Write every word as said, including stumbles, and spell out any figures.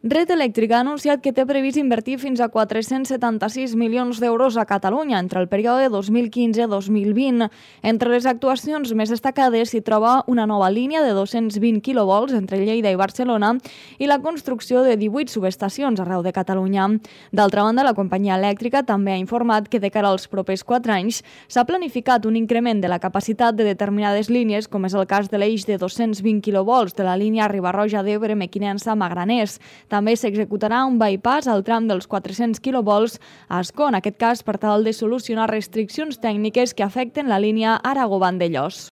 Red Eléctrica ha anunciat que té previst invertir fins a quatre-cents setanta-sis milions d'euros a Catalunya entre el període dos mil quinze dos mil vint. Entre les actuacions més destacades s'hi troba una nova línia de dos-cents vint quilovolts entre Lleida i Barcelona i la construcció de divuit subestacions arreu de Catalunya. D'altra banda, la companyia elèctrica també ha informat que de cara als propers quatre anys s'ha planificat un increment de la capacitat de determinades línies, com és el cas de l'eix de dos-cents vint quilovolts de la línia Riba-roja d'Ebre Mequinensa-Magraners. També s'executarà un bypass al tram dels quatre-cents quilovolts a Ascó, en aquest cas per tal de solucionar restriccions tècniques que afecten la línia Aragó-Vandellòs.